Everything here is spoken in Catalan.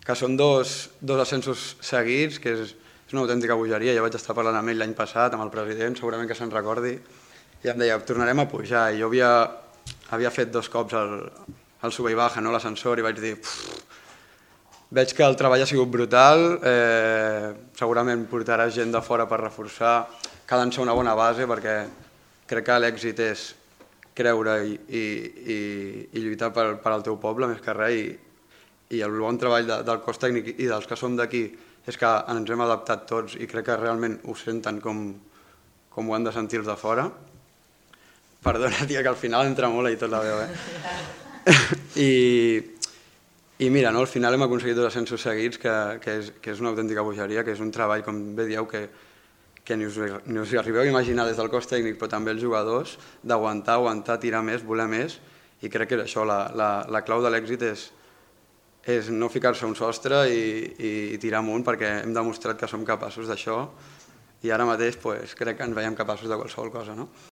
que són dos ascensos seguits, que és una autèntica bogeria. Jo vaig estar parlant amb ell l'any passat, amb el president, segurament que se'n recordi, i em deia, tornarem a pujar. I jo havia fet 2 cops el sube i baja, l'ascensor, i vaig dir, veig que el treball ha sigut brutal, segurament portaràs gent de fora per reforçar, cal llançar una bona base, perquè crec que l'èxit és creure i lluitar per al teu poble, més que res, i el bon treball del cos tècnic i dels que som d'aquí és que ens hem adaptat tots i crec que realment ho senten com ho han de sentir els de fora. Perdona, tia, que al final entra molt i tot la veu, I mira, al final hem aconseguit 2 ascensos seguits, que és una autèntica bogeria, que és un treball, com bé dieu, que ni us arribeu a imaginar des del cos tècnic, però també els jugadors, d'aguantar, tirar més, voler més, i crec que és això, la clau de l'èxit és no ficar-se un sostre i tirar amunt, perquè hem demostrat que som capaços d'això, i ara mateix crec que ens veiem capaços de qualsevol cosa.